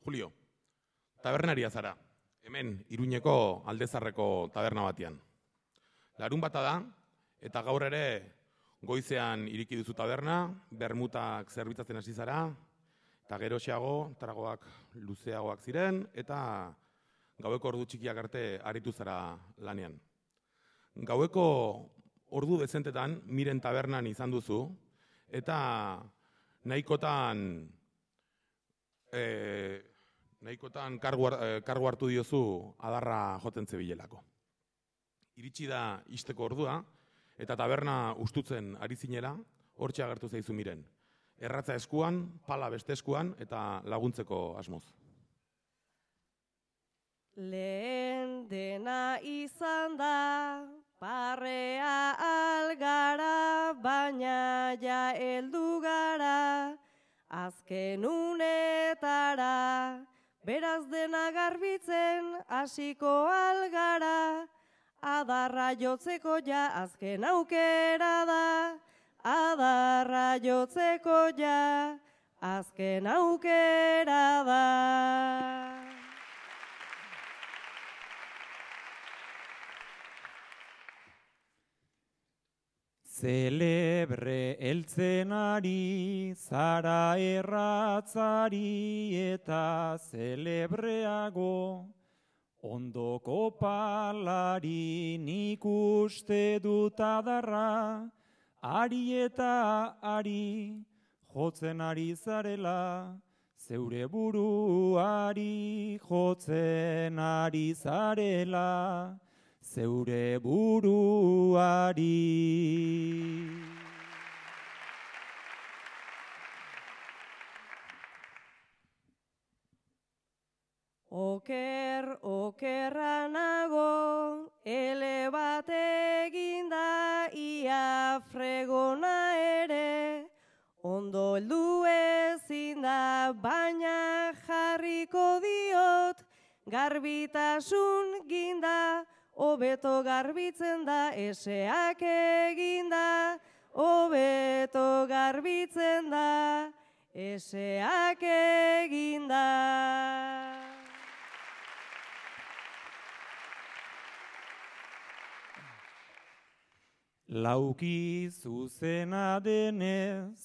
Julio, tabernaria zara, hemen Iruñeko Aldezarreko taberna batean. Larunbata da, eta gaur ere goizean iriki duzu taberna, bermutak zerbitzatzen hasi zara, eta geroxeago, tragoak luzeagoak ziren, eta gaueko ordu txikiak arte aritu zara lanean. Gaueko ordu dezentetan Miren tabernan izan duzu, eta nahikotan kargu hartu diozu adarra jotzen zebilelako. Iritsi da ixteko ordua, eta taberna ustutzen ari zinela, hortxe agertu zaizu Miren. Erratza eskuan, pala beste eskuan, eta laguntzeko asmoz. Lehen dena izan da, parrea algara, baina ja heldu gara, azken unetara, beraz dena garbitzen hasiko algara, adarra jotzeko ja azken aukera da, adarra jotzeko ja azken aukera da. Zelebre eltzenari, zara erratzari eta zelebreago, ondoko palari nik uste dut adarra, ari eta ari jotzen ari zarela, zeure buruari jotzen ari zarela, zeure buruari. Oker, okerra nago, ele bat eginda, ia fregona ere, ondo heldu ezin da, baina jarriko diot, garbitasun ginda, hobeto garbitzen da, eseak eginda, hobeto garbitzen da, eseak eginda. Lauki zuzena denez,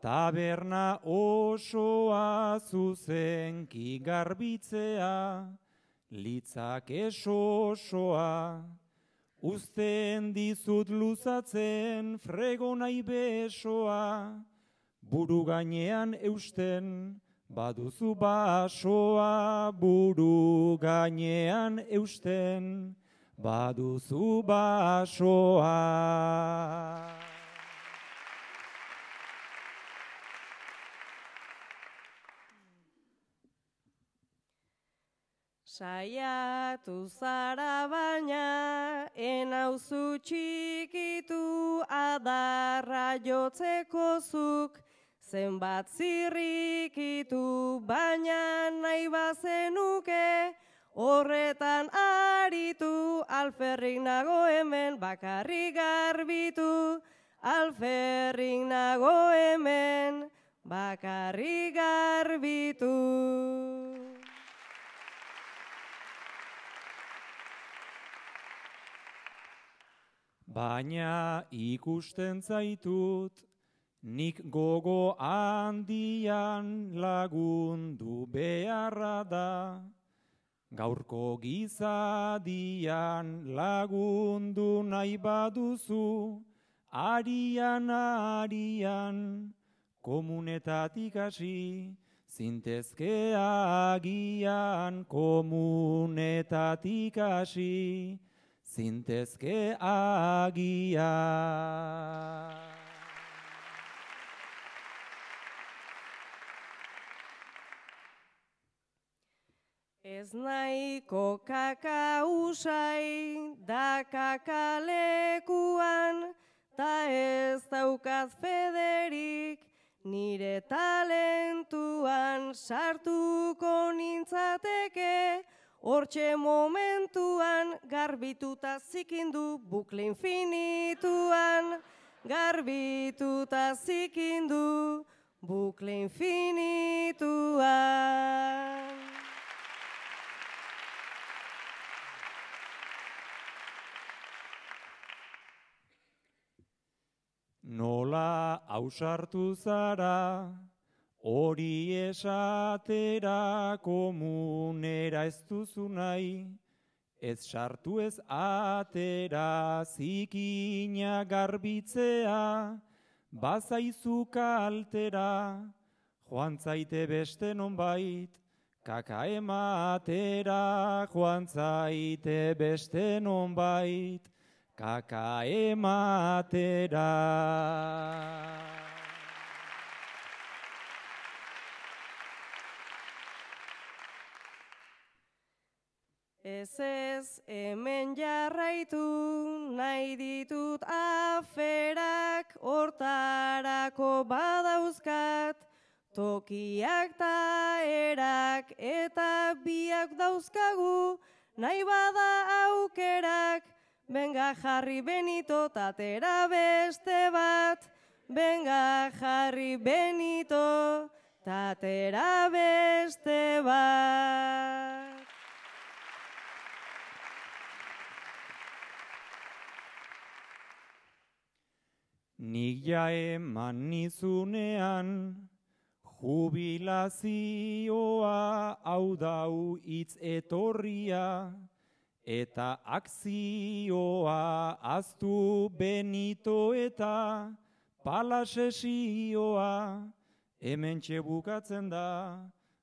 taberna osoa zuzenki garbitzea, litzak esosoa, uzten dizut luzatzen fregonai besoa, buru gainean eusten baduzu basoa, buru gainean eusten baduzu basoa. Saiatu zara baina, enauzu txikitu, adarra jotzeko zuk, zenbat zirrikitu, baina nahi bazenuke, horretan aritu, alferrik nago hemen bakarrik garbitu, alferrik nago hemen bakarrik garbitu. Baina ikusten zaitut, nik gogo handian lagundu beharra da, gaurko gizadian lagundu nahi baduzu, arian, komunetatik hasi, zintezke agian, komunetatik hasi, zintezke agian. Ez nahiko kaka usai, da kakalekuan, ta ez daukat federik, nire talentuan sartuko nintzateke, hortxe momentuan garbituta zikindu bukle infinituan, garbituta zikindu bukle infinituan. ausartu zara, hori esatera komunera ez duzu nahi, ez sartu ez atera zikina garbitzea, bazaizu kaltera, joan zaite beste nonbait, kaka ematera, joan zaite beste nonbait, kaka ematera. Ez, hemen jarraitu, nahi ditut aferak, hortarako badauzkat, tokiak ta erak, eta biak dauzkagu, nahi bada aukerak, benga jarri Benito, tatera beste bat, benga jarri Benito, tatera beste bat. Nik ja eman nizunean, jubilazioa hau dau hitz etorria, eta akzioa aztu Benito eta palasesioa, hementxe bukatzen da,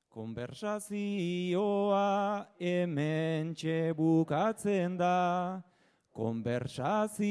konversazioa, hementxe bukatzen da, konversazioa.